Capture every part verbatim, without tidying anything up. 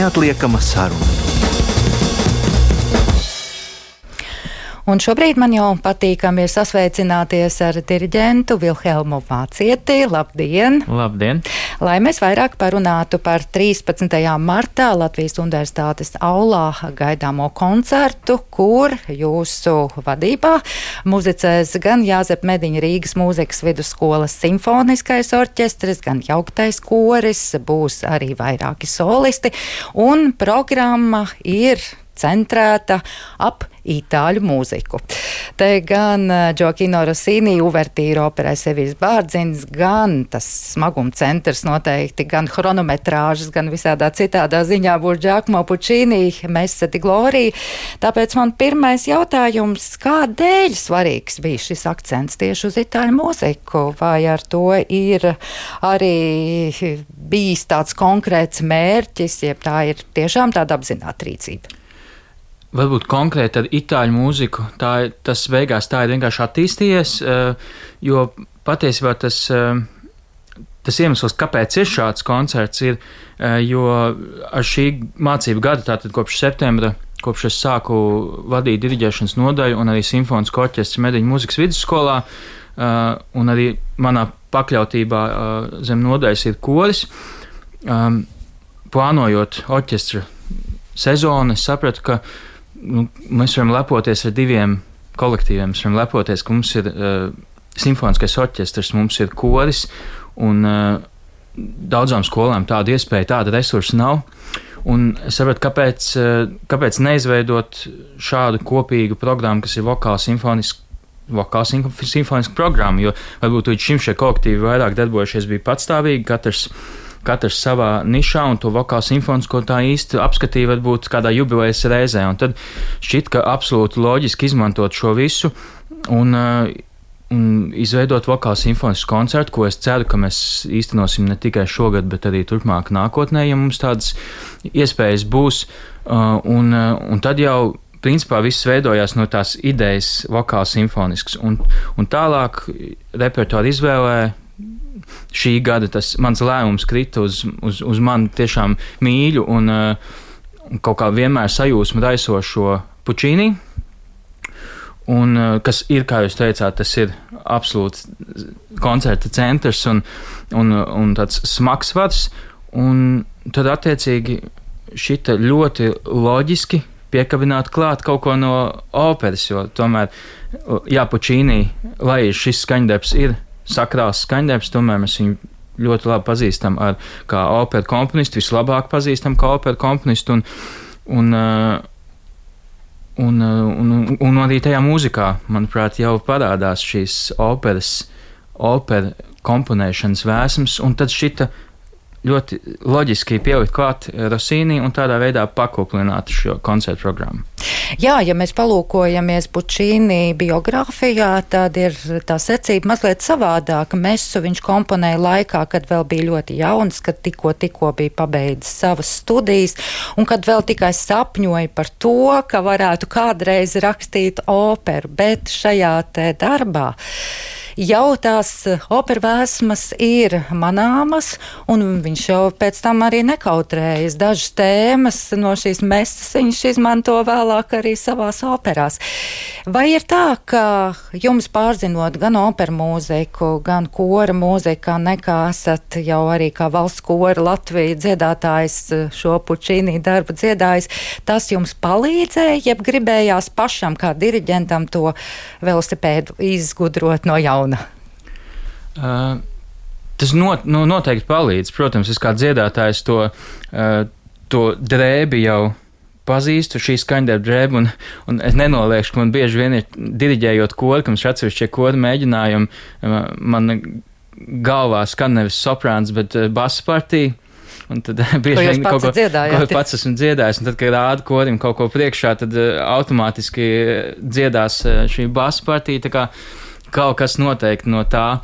neatliekama saruna. Un šobrīd man jau patīkami ir sasveicināties ar diriģentu Vilhelmu Vācieti. Labdien! Labdien! Lai mēs vairāk parunātu par trīspadsmitajā martā Latvijas Universitātes aulā gaidāmo koncertu, kur jūsu vadībā muzicēs gan Jāzepa Mediņa Rīgas mūzikas vidusskolas simfoniskais orķestris, gan jauktais koris, būs arī vairāki solisti, un programma ir centrēta ap itāļu mūziku. Te gan Džoakino Rosīni uvertīra operai Seviļas Bārdziņas, gan tas smaguma centrs noteikti, gan chronometrāžas, gan visādā citādā ziņā būs Giacomo Puccini, Messe di Gloria. Tāpēc man pirmais jautājums, kādēļ svarīgs bija šis akcents tieši uz itāļu mūziku? Vai ar to ir arī bijis tāds konkrēts mērķis, jeb tā ir tiešām tāda apzināta rīcība? Varbūt konkrēti ar itāļu mūziku, tā, tas beigās tā ir vienkārši attīstījies, jo patiesībā tas, tas iemesls, kāpēc ir šāds koncerts, ir, jo ar šī mācību gada, tātad kopš septembra, kopš es sāku vadīt diriģēšanas nodaļu un arī simfonisko orķestri Mediņu mūzikas vidusskolā, un arī manā pakļautībā zem nodaļas ir koris, plānojot orķestra sezonu, es sapratu, ka Nu, mēs varam lepoties ar diviem kolektīviem. Mēs varam lepoties, ka mums ir uh, simfoniskais orķestrs, mums ir koris, un uh, daudzām skolām tāda iespēja, tāda resursa nav. Un es sapratu, kāpēc, uh, kāpēc neizveidot šādu kopīgu programmu, kas ir vokāla simfoniska, vokāla simfoniska programma, jo varbūt līdz šim šie kolektīvi vairāk darbojušies bija patstāvīgi, katrs katrs savā nišā, un to vokālu simfonisko tā īsti apskatīja varbūt kādā jubilejas reizē, un tad šķiet, ka absolūti loģiski izmantot šo visu un, un izveidot vokālu simfonisku koncertu, ko es ceru, ka mēs īstenosim ne tikai šogad, bet arī turpmāk nākotnē, ja mums tādas iespējas būs, un, un tad jau principā viss veidojās no tās idejas vokālu simfonisks, un, un tālāk repertuāru izvēlē šī gada tas mans lēmums krita uz, uz, uz mani tiešām mīļu un, un kaut kā vienmēr sajūsmu raisošo Puccini, un kas ir, kā jūs teicāt, tas ir absolūts koncerta centrs un, un, un tāds smagsvars, un tad attiecīgi šita ļoti loģiski piekabināt klāt kaut ko no operas, jo tomēr, jā, Puccini, lai šis skaņdarbs ir sakrāls skaņdarbs, tomēr mēs viņu ļoti labi pazīstam ar, kā operu komponistu, vislabāk pazīstam kā operu komponistu, un, un, un, un, un, un arī tajā mūzikā, manuprāt, jau parādās šīs operas, opera komponēšanas vēsmas, un tad šita ļoti loģiski pielikt klāt Rosīni un tādā veidā pakuplināt šo koncertu programmu. Jā, ja mēs palūkojamies Puccini biogrāfijā, tad ir tā secība mazliet savādāka. Mesu viņš komponēja laikā, kad vēl bija ļoti jauns, kad tikko, tikko bija pabeidzis savas studijas, un kad vēl tikai sapņoja par to, ka varētu kādreiz rakstīt operu, bet šajā te darbā jau tās opera vēsmas ir manāmas, un viņš jau pēc tam arī nekautrējas. Dažas tēmas no šīs mesas viņš izmanto vēlāk arī savās operās. Vai ir tā, ka jums pārzinot gan operu mūziku, gan kora mūzika, nekā esat jau arī kā valsts kora Latvija dziedātājs šo Puccini darbu dziedājis, tas jums palīdzēja, jeb gribējās pašam kā diriģentam to velosipēdu izgudrot no jauna? Uh, tas not, nu, noteikti palīdz. Protams, es kā dziedātājs to, uh, to drēbi jau pazīstu, šī skaņdarba drēbi, un, un es nenoliekšu, ka man bieži vien ir diriģējot kori, ka mums atsevišķie kori mēģinājumi, uh, man galvā skan nevis soprāns, bet uh, basa partija. Un tad bieži vien kaut ko, ko pats esmu dziedājis, un tad, kad rāda korim kaut ko priekšā, tad uh, automātiski dziedās uh, šī basa partija, tā kā kaut kas noteikti no tā,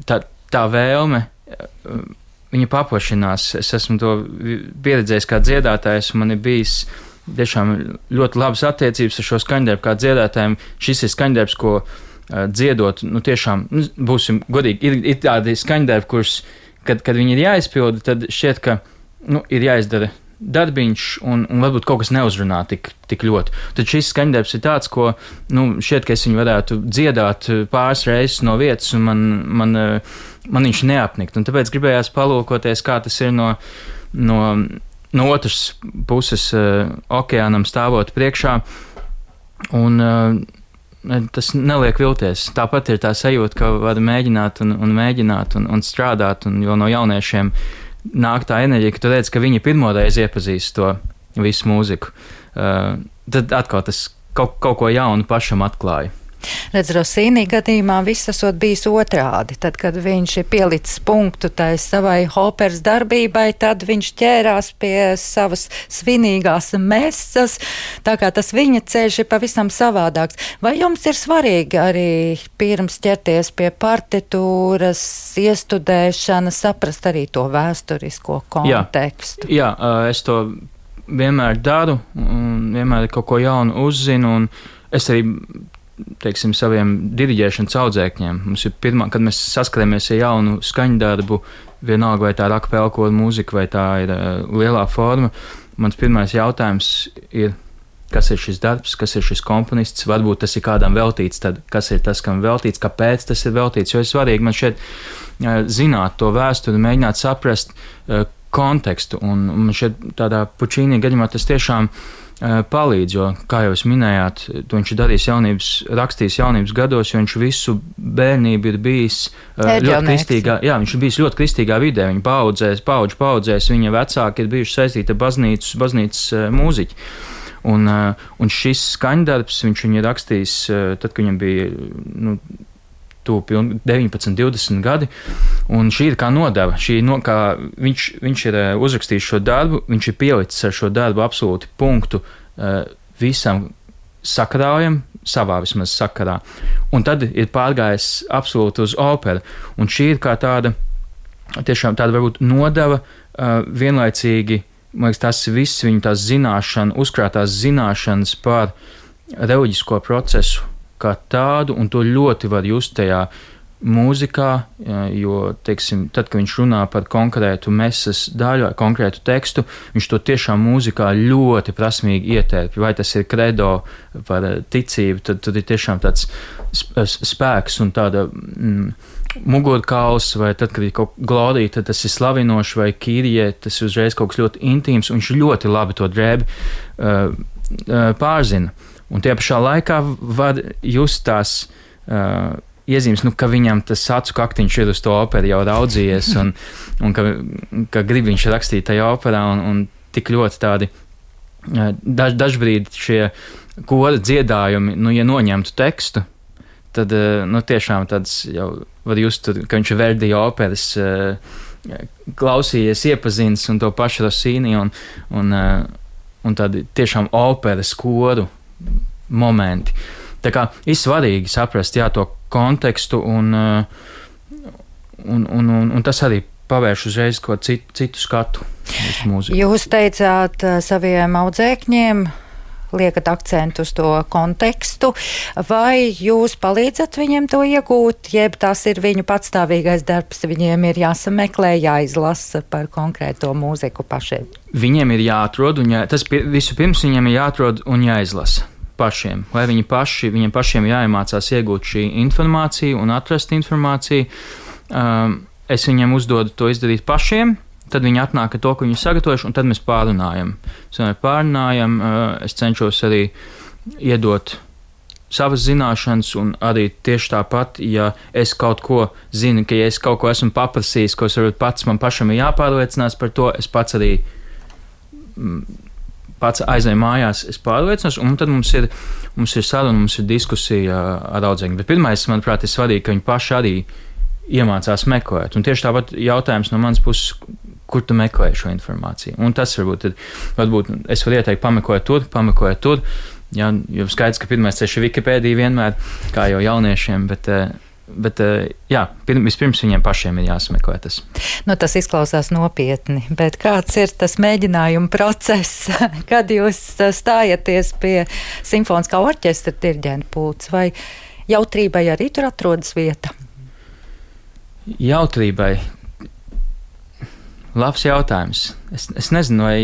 tā, tā vēlme, viņa paplašinās. Es esmu to pieredzējis kā dziedātājs, un man ir bijis tiešām ļoti labas attiecības ar šo skaņdarbu kā dziedātājiem. Šis ir skaņdarbs, ko dziedot, nu tiešām, nu, būsim godīgi, ir, ir tādi skaņdarbi, kurus, kad, kad viņi ir jāizpilda, tad šķiet, ka, nu, ir jāizdara darbiņš, un, un varbūt kaut kas neuzrunā tik, tik ļoti. Tad šis skaņdarbs ir tāds, ko, nu, šķiet, ka es viņu varētu dziedāt pāris reizes no vietas, un man, man, man viņš neapnikt. Un tāpēc gribējās palūkoties, kā tas ir no, no, no otras puses uh, okeānam stāvot priekšā, un uh, tas neliek vilties. Tāpat ir tā sajūta, ka var mēģināt un, un mēģināt un, un strādāt, un jo no jauniešiem nāk tā enerģija, ka tu redz, ka viņi pirmoreiz iepazīst to visu mūziku. Uh, tad atkal tas kaut, kaut ko jaunu pašam atklāja. Redz, Rosīnī gadījumā viss esot bijis otrādi. Tad, kad viņš ir pielicis punktu tai savai operas darbībai, tad viņš ķērās pie savas svinīgās mesas, tā kā tas viņa ceļš ir pavisam savādāks. Vai jums ir svarīgi arī pirms ķerties pie partitūras, iestudēšana, saprast arī to vēsturisko kontekstu? Jā, jā, es to vienmēr daru, un vienmēr kaut ko jaunu uzzinu, un es arī teiksim, saviem diriģēšanas audzēkņiem. Mums ir pirmā, kad mēs saskaramies ar jaunu skaņdarbu, vienalga vai tā ir akapelkoru mūzika, vai tā ir uh, lielā forma, mans pirmais jautājums ir, kas ir šis darbs, kas ir šis komponists, varbūt tas ir kādam veltīts, tad kas ir tas, kam veltīts, kāpēc tas ir veltīts, jo ir svarīgi man šeit uh, zināt to vēsturi, mēģināt saprast uh, kontekstu, un, un šeit tādā Pučīnī gadījumā tas tiešām palīdz, jo, kā jau jūs minējāt, to viņš ir darījis jaunības, rakstījis jaunības gados, jo viņš visu bērnību ir bijis ļoti kristīgā, jā, viņš ir bijis ļoti kristīgā vidē, viņa paudzēs, paudžu paudzēs, viņa vecāki ir bijuši saistīti ar baznīcas, baznīcas mūziķi. Un, un šis skaņdarbs, viņš viņu ir rakstījis, tad, kad viņam bija, nu, deviņpadsmit, divdesmit gadi, un šī ir kā nodeva. Šī no, kā viņš, viņš ir uzrakstījis šo darbu, viņš ir pielicis ar šo darbu absolūti punktu uh, visam sakarājam, savā vismaz sakarā. Un tad ir pārgājis absolūti uz operu. Un šī ir kā tāda, tiešām tāda varbūt nodeva uh, vienlaicīgi, man liekas, tas viss viņa tās zināšana, uzkrātās zināšanas par reliģisko procesu kā tādu, un to ļoti var just tajā mūzikā, jo, teiksim, tad, kad viņš runā par konkrētu mesas daļu, konkrētu tekstu, viņš to tiešām mūzikā ļoti prasmīgi ietērp. Vai tas ir kredo par ticību, tad, tad ir tiešām tāds spēks un tāda mm, mugurkauls, vai tad, kad ir kaut glorija, tad tas ir slavinoši, vai kīrie, tas ir uzreiz kaut kas ļoti intīms, un viņš ļoti labi to drēbi uh, uh, pārzina. Un tie pašā laikā var just tās uh, iezīmes, nu, ka viņam tas acu kaktiņš ir uz to operu jau raudzījies, un, un ka, ka grib viņš rakstīt tajā operā, un, un tik ļoti tādi uh, daž, dažbrīd šie kora dziedājumi, nu, ja noņemtu tekstu, tad, uh, nu, tiešām tāds jau var just, ka viņš ir Verdi operas uh, klausījies, iepazīstis, un to pašu Rosīni, un, un, uh, un tādi tiešām operas koru momenti. Tā kā ir svarīgi saprast, jā, to kontekstu, un, un, un, un, un tas arī pavērš uzreiz ko citu, citu skatu uz mūziku. Jūs teicāt saviem audzēkņiem, liekat akcentu uz to kontekstu, vai jūs palīdzat viņiem to iegūt, jeb tas ir viņu patstāvīgais darbs, viņiem ir jāsameklē, jāizlasa par konkrēto mūziku pašiem? Viņiem ir jāatrod, un jā, tas visu pirms viņiem ir jāatrod un jāizlasa pašiem, lai viņi paši, viņiem pašiem jāiemācās iegūt šī informācija un atrast informāciju. Um, es viņiem uzdodu to izdarīt pašiem, tad viņi atnāk ar to, ko viņi sagatavojuši, un tad mēs pārunājam. Mēs pārunājam, es cenšos arī iedot savas zināšanas, un arī tieši tāpat, ja es kaut ko zinu, ka ja es kaut ko esmu paprasījis, ko es varbūt pats man pašam ir jāpārliecinās par to, es pats arī pats aizēju mājās, es pārliecinos, un tad mums ir, mums ir saruna, mums ir diskusija ar audzēkņiem. Bet pirmais, manuprāt, ir svarīgi, ka viņi paši arī iemācās meklēt. Un tieši tāpat jautājums no manas puses, kur tu meklē šo informāciju. Un tas varbūt, ir, varbūt es varu ieteikt pameklēt tur, pameklēt tur. Jā, jo skaidrs, ka pirmais ceļš ir Wikipēdija vienmēr, kā jau jauniešiem, bet, bet jā, vispirms viņiem pašiem ir jāsameklē tas. Nu, tas izklausās nopietni, bet kāds ir tas mēģinājuma process, kad jūs stājaties pie simfoniskā orķestra diriģenta pults, vai jautrībai arī tur atrodas vieta? Jautrībai. Labs jautājums. Es, es nezinu, vai...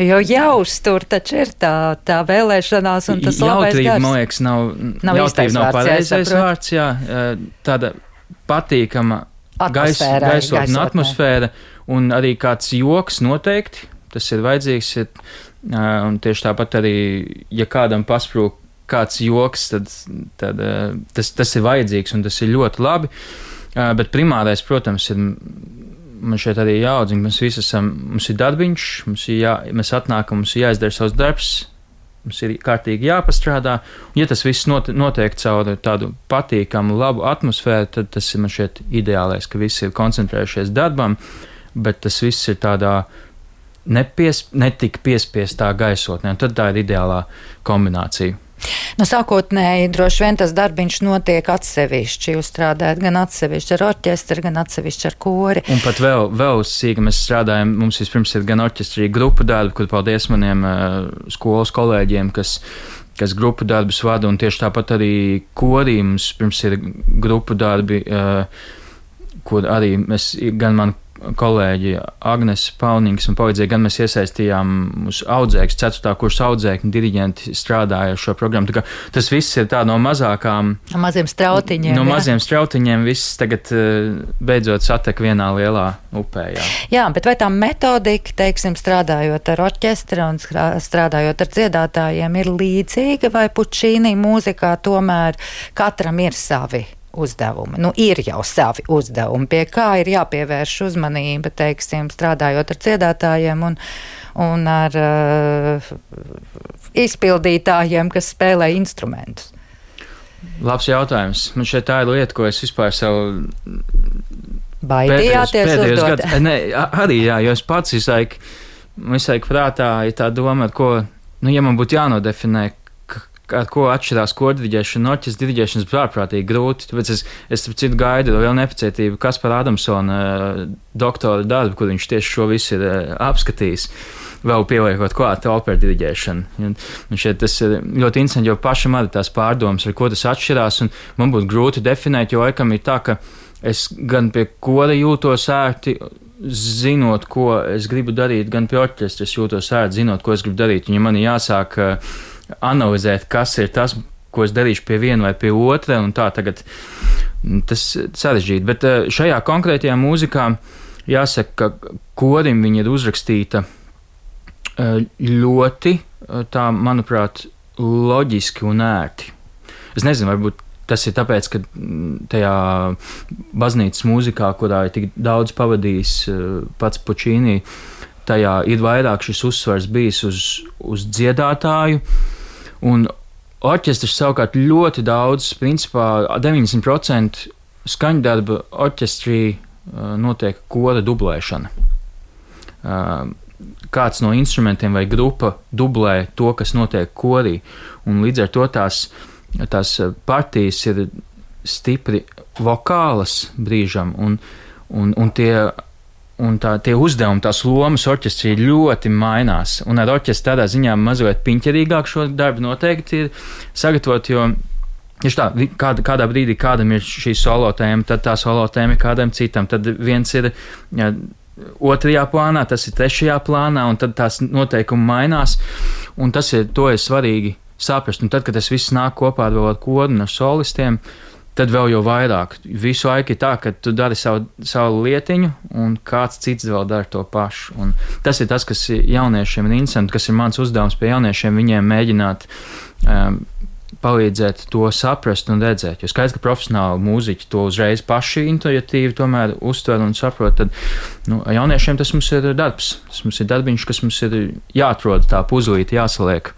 Jo jāuztur taču ir tā, tā vēlēšanās un tas labais jautrība, gars. man liekas, nav, nav jautrība nav pareizais vārds, jā. Tāda patīkama gais, gaisotne un atmosfēra un arī kāds joks noteikti, tas ir vajadzīgs. Un tieši tāpat arī, ja kādam pasprūk kāds joks, tad, tad tas, tas ir vajadzīgs un tas ir ļoti labi. Bet primārais, protams, ir... Man šeit arī jāaudzina, mēs visi esam, mums ir darbiņš, mums ir jā, mēs atnākam, mums ir jāizdara savs darbs, mums ir kārtīgi jāpastrādā. Un ja tas viss not, notiek caur tādu patīkamu, labu atmosfēru, tad tas ir man šeit ideālais, ka visi ir koncentrējušies darbam, bet tas viss ir tādā nepies, netik piespiestā gaisotnē, un tad tā ir ideālā kombinācija. Nu, sākotnēji droši vien tas darbiņš notiek atsevišķi. Jūs strādājat gan atsevišķi ar orķestri, gan atsevišķi ar kori. Un pat vēl, vēl sīki mēs strādājam, mums vispirms ir gan orķestri grupu darbi, kur paldies maniem uh, skolas kolēģiem, kas, kas grupu darbus vada, un tieši tāpat arī korī mums pirms ir grupu darbi, uh, kur arī mēs, gan man kolēģi Agnes Paunīgs un palīdzēja, gan mēs iesaistījām mūsu audzēkņus, ceturtā kursa audzēkņu diriģenti strādāja ar šo programmu. Tā kā tas viss ir tā no mazākām... No maziem strautiņiem. No jā. maziem strautiņiem viss tagad beidzot satek vienā lielā upē. Jā, jā, bet vai tā metodika, teiksim, strādājot ar orķestri un strādājot ar dziedātājiem, ir līdzīga vai Pučīnī mūzikā tomēr katram ir savi uzdevumi? Nu, ir jau savi uzdevumi, pie kā ir jāpievērš uzmanība, teiksim, strādājot ar dziedātājiem un, un ar uh, izpildītājiem, kas spēlē instrumentus. Labs jautājums. Man šeit tā ir lieta, ko es vispār savu baidījāties uzdot. Nē, arī jā, jo es pats visu laiku, visu laiku prātā ir tā doma, ar ko, nu, ja man būtu jānodefinē, ar ko atšķirās kordiriģēšana un orķestra diriģēšanas ārprātīgi grūti. Tāpēc es, es citu gaidu vēl nepacietību Kaspara Adamsona doktora darbu, kur viņš tieši šo visu ir apskatījis, vēl pieliekot klāt operu diriģēšanu. Un šeit tas ir ļoti interesanti, jo pašam arī tās pārdomas, ar ko tas atšķirās, un man būtu grūti definēt, jo laikam ir tā, ka es gan pie kora jūtos ērti, zinot, ko es gribu darīt, gan pie orķestra es jūtos ērti, zinot, ko es gribu darīt. Un ja man ir jāsāk analizēt, kas ir tas, ko es darīšu pie viena vai pie otra, un tā tagad tas sarežģīti. Bet šajā konkrētajā mūzikā jāsaka, ka korim viņa ir uzrakstīta ļoti, tā, manuprāt, loģiski un ērti. Es nezinu, varbūt tas ir tāpēc, ka tajā baznīcas mūzikā, kurā ir tik daudz pavadījis pats Pučīnī, tajā ir vairāk šis uzsvars bijis uz, uz dziedātāju, un orķestrs savukārt ļoti daudz, principā deviņdesmit procenti skaņdarba orķestrī notiek kora dublēšana. Kāds no instrumentiem vai grupa dublē to, kas notiek korī, un līdz ar to tās, tās partijas ir stipri vokālas brīžam, un, un, un tie Un tā, tie uzdevumi, tās lomas orķestrī ļoti mainās. Un ar orķestri tādā ziņā mazliet piņķerīgāk šo darbu noteikti ir sagatavot, jo tieši tā, kāda, kādā brīdī kādam ir šī solo tēma, tad tā solo tēma ir kādam citam. Tad viens ir jā, otrajā plānā, tas ir trešajā plānā, un tad tās noteikumi mainās. Un tas ir, to ir svarīgi saprast. Un tad, kad tas viss nāk kopā ar vēl ar koru un ar solistiem, tad vēl jau vairāk. Visu laiku ir tā, ka tu dari savu, savu lietiņu, un kāds cits vēl dara to pašu. Un tas ir tas, kas jauniešiem ir interesanti, kas ir mans uzdevums pie jauniešiem, viņiem mēģināt um, palīdzēt to saprast un redzēt. Jo skaidrs, ka profesionāli mūziķi to uzreiz paši intuitīvi tomēr uztver un saprot, tad nu, jauniešiem tas mums ir darbs. Tas mums ir darbiņš, kas mums ir jāatrod tā puzlīti, jāsaliek.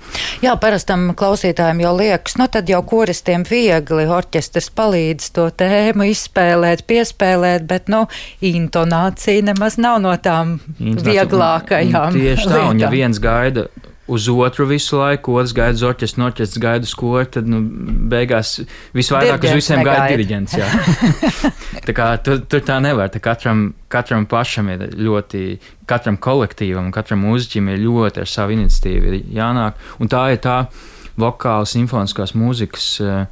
Jā, parastam klausītājiem jau liekas, nu tad jau koristiem viegli, orķestrs palīdz to tēmu izspēlēt, piespēlēt, bet, nu, intonācija nemaz nav no tām vieglākajām. Tieši tā, un ja viens gaida uz otru visu laiku, otrs gaida uz orķestru, orķestrs gaida uz kori, tad, nu, beigās visvairāk Dirigents uz visiem negaida. gaida diriģents, jā. Tā kā tur, tur tā nevar, tā katram, katram pašam ir ļoti, katram kolektīvam, katram mūziķim ir ļoti ar savu iniciatīvu jānāk, un tā ir tā vokāla simfoniskās mūzikas uh,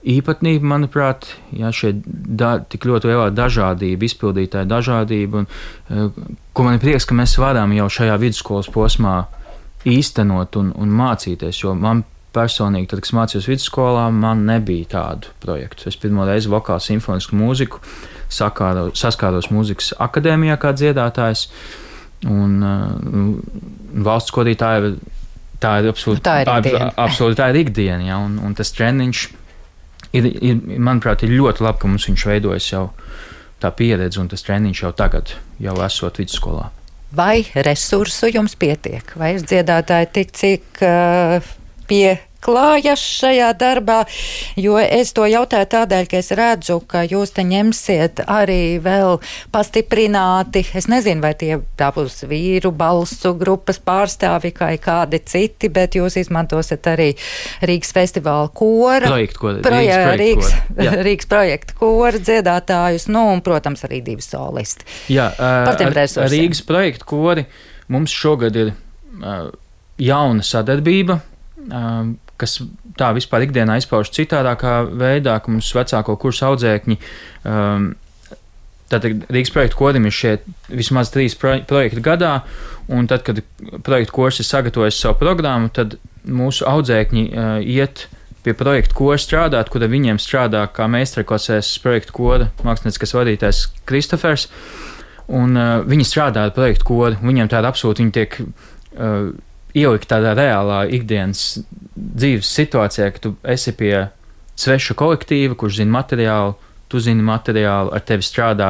īpatnība, manuprāt, jā, šie da, tik ļoti lielā dažādība, izpildītāja dažādība, un, uh, ko man ir prieks, ka mēs varam jau šajā vidusskolas posmā īstenot un, un mācīties, jo man personīgi, tad, kad es mācījos vidusskolā, man nebija tādu projektu. Es pirmo reizi vokālu simfonisku mūziku sakāro, saskāros mūzikas akadēmijā kā dziedātājs, un uh, valsts korī tā ir, tā ir absolūti tā ir ikdiena, ab, absolūti, tā ir ikdiena ja, un, un tas treniņš ir, ir, manuprāt, ir ļoti labi, ka mums viņš veidojas jau tā pieredze, un tas treniņš jau tagad, jau esot vidusskolā. Vai resursu jums pietiek? Vai ir dziedātāji tik, cik uh, pieklājas šajā darbā? Jo es to jautāju tādēļ, ka es redzu, ka jūs te ņemsiet arī vēl pastiprināti, es nezinu, vai tie tā būs vīru balsu grupas pārstāvi vai kādi citi, bet jūs izmantosiet arī Rīgas festivāla kora. Projektu kora. Proje, Rīgas, Rīgas, Rīgas projektu kora dziedātājus, nu un, protams, arī divi solisti. Jā, Par tiem ar, resursiem. Ar Rīgas projektu kori mums šogad ir uh, jauna sadarbība, uh, kas tā vispār ikdienā izpauž citādākā veidā, ka mums vecāko kursu audzēkņi, um, tātad Rīgas projektu korim ir šie vismaz trīs pro, projekti gadā, un tad, kad projektu kurs ir sagatavojis savu programmu, tad mūsu audzēkņi uh, iet pie projektu kora strādāt, kur viņiem strādā kā meistarklasēs projektu kora mākslinieckais vadītājs Kristofers, un uh, viņi strādā ar projektu koru, viņiem tāda absolūti, viņi tiek uh, ielikt tādā reālā ikdienas dzīves situācijā, ka tu esi pie sveša kolektīva, kurš zina materiālu, tu zini materiālu, ar tevi strādā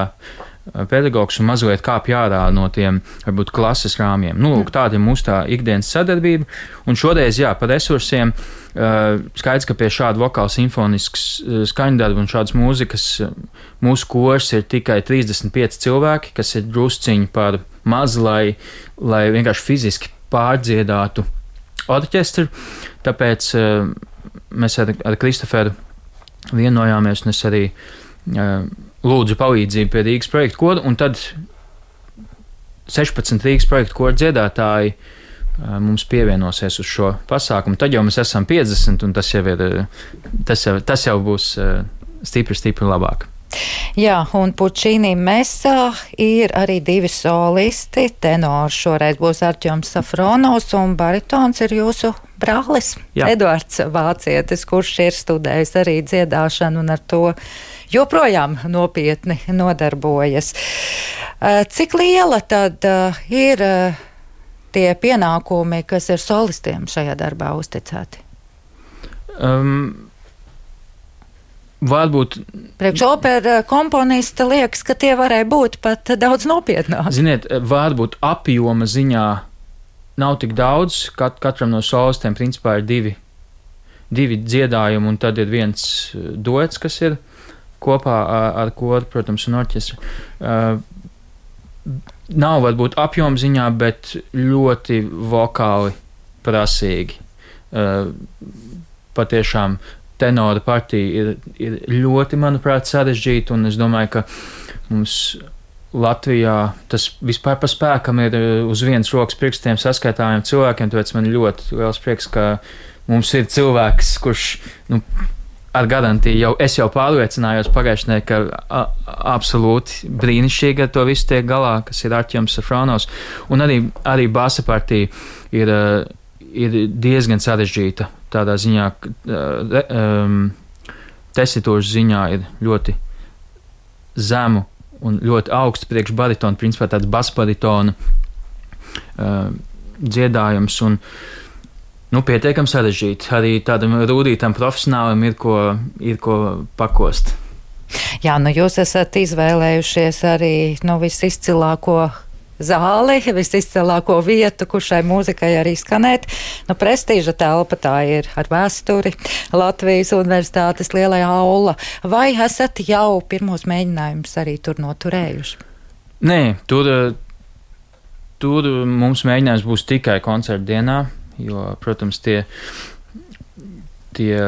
pedagogs un mazliet kāp ārā no tiem, varbūt, klases rāmjiem. Nu, lūk, tāda ir mūsu tā ikdienas sadarbība, un šoreiz, jā, par resursiem, uh, skaidrs, ka pie šāda vokāla simfoniskas uh, skaņdarba un šādas mūzikas uh, mūsu kurs ir tikai trīsdesmit pieci cilvēki, kas ir drusciņi par maz, lai, lai vienkārši fiziski pārdziedātu orķestru, tāpēc uh, mēs ar, ar Kristoferu vienojāmies, un es arī uh, lūdzu palīdzību pie Rīgas projektu kora, un tad sešpadsmit Rīgas projektu kora dziedātāji uh, mums pievienosies uz šo pasākumu. Tad jau mēs esam piecdesmit, un tas jau, ir, tas jau, tas jau būs uh, stipri, stipri labāk. Jā, un Pučīnī Mesā ir arī divi solisti. Tenors šoreiz būs Artjoms Safronovs, un baritons ir jūsu brālis, Jā. Eduards Vācietis, kurš ir studējis arī dziedāšanu un ar to joprojām nopietni nodarbojas. Cik liela tad ir tie pienākumi, kas ir solistiem šajā darbā uzticēti? Um, Varbūt. Priekš opera komponista liekas, ka tie varēja būt pat daudz nopietnāk. Ziniet, varbūt apjoma ziņā nav tik daudz. Kat, katram no solistiem principā ir divi, divi dziedājumi, un tad ir viens duets, kas ir kopā ar, ar koru, protams, un orķestru. Uh, nav varbūt apjoma ziņā, bet ļoti vokāli prasīgi. Uh, patiešām tenora partija ir, ir ļoti, manuprāt, sarežģīta, un es domāju, ka mums Latvijā tas vispār pa spēkam ir uz vienas rokas pirkstiem saskaitāmiem cilvēkiem, tāpēc man ļoti liels prieks, ka mums ir cilvēks, kurš, nu, ar garantiju jau, es jau pārliecinājos pagājušajā, ka a, absolūti brīnišķīgi ar to visu tiek galā, kas ir Artjoms Safronovs, un arī, arī basa partija ir, ir diezgan sarežģīta. Tādā ziņā, um, tesitūras ziņā ir ļoti zemu un ļoti augsts priekš baritonu, principā tāds basbaritona uh, dziedājums un, nu, pietiekam sarežģīti. Arī tādam rūdītam profesionālim ir ko, ir ko pakost. Jā, nu jūs esat izvēlējušies arī, nu, visizcilāko zāli, visizcilāko vietu, kur šai mūzikai arī skanēt. Nu, prestīža telpa tā ir ar vēsturi, Latvijas Universitātes lielajā aula. Vai esat jau pirmos mēģinājumus arī tur noturējuši? Nē, tur, tur mums mēģinājums būs tikai koncerta dienā, jo, protams, tie, tie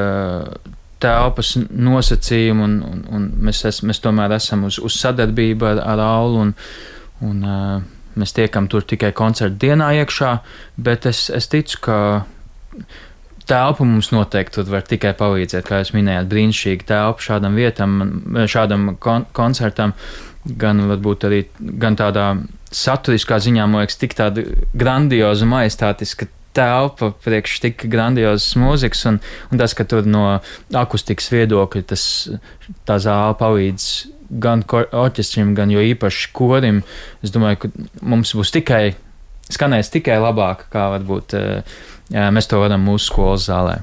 telpas nosacījumi un, un, un mēs, es, mēs tomēr esam uz, uz sadarbību ar, ar aulu un, un uh, mēs tiekam tur tikai koncerta dienā iekšā, bet es, es ticu, ka telpa mums noteikti var tikai palīdzēt, kā jūs minējāt, brīnišķīgi telpa šādam vietam, šādam kon koncertam, gan varbūt arī gan tādā saturiskā ziņā, man liekas, tik tāda grandioza, majestātiska telpa priekš tik grandiozas mūzikas, un, un tas, ka tur no akustikas viedokļa tas, tā zāle palīdz gan orķestrim, gan jo īpaši korim, es domāju, ka mums būs tikai, skanēs tikai labāk, kā varbūt jā, mēs to varam mūsu skolas zālē.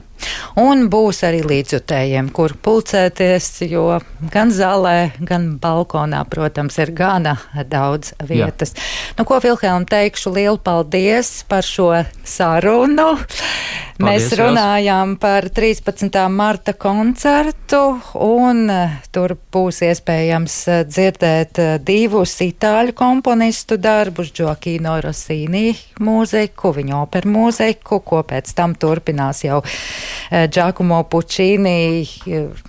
Un būs arī līdzjutējiem, kur pulcēties, jo gan zālē, gan balkonā, protams, ir gana daudz vietas. Jā. Nu, ko Vilhelm teikšu, lielu paldies par šo sarunu. Paldies, Mēs runājām jās. Par trīspadsmitā marta koncertu, un tur būs iespējams dzirdēt divus itāļu komponistu darbus, Gioacchino Rossini mūziku, viņa operu mūziku, ko pēc tam turpinās jau Giacomo Puccini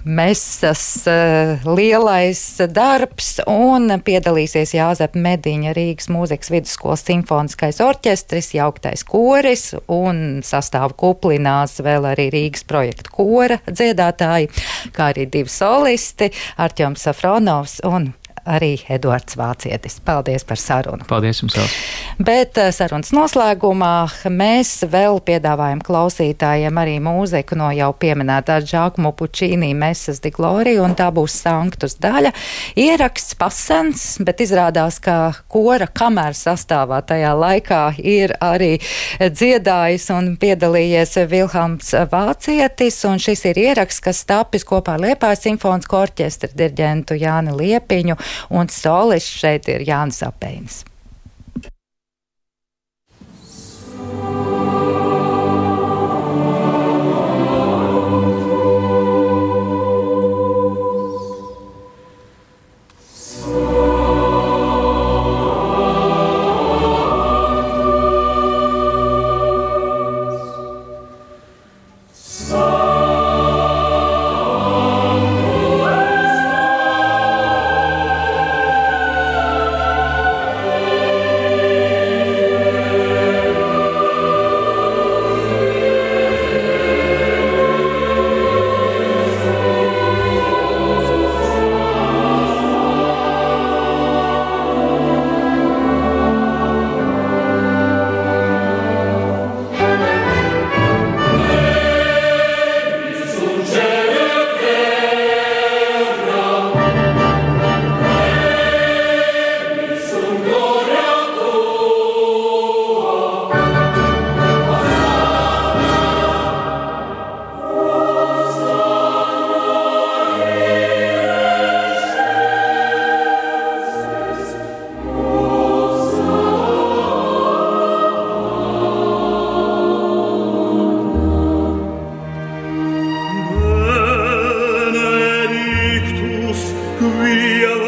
mesas lielais darbs, un piedalīsies Jāzepa Mediņa Rīgas mūzikas vidusskolas simfoniskais orķestris, jauktais koris, un sastāvu kuplinās vēl arī Rīgas projekta kora dziedātāji, kā arī divi solisti, Artjoms Safronovs un arī Eduards Vācietis. Paldies par sarunu. Paldies jums vēl. Bet sarunas noslēgumā mēs vēl piedāvājam klausītājiem arī mūziku no jau pieminētā Giacomo Puccini Mesas di Gloria, un tā būs Sanctus daļa. Ieraksts pasens, bet izrādās, ka kora kameras sastāvā tajā laikā ir arī dziedājis un piedalījies Vilhelms Vācietis, un šis ir ieraksts, kas tapis kopā ar Liepājas simfonisko orķestra diriģentu Jāni Liepiņu, un solists šeit ir Jānis Apeinis. Via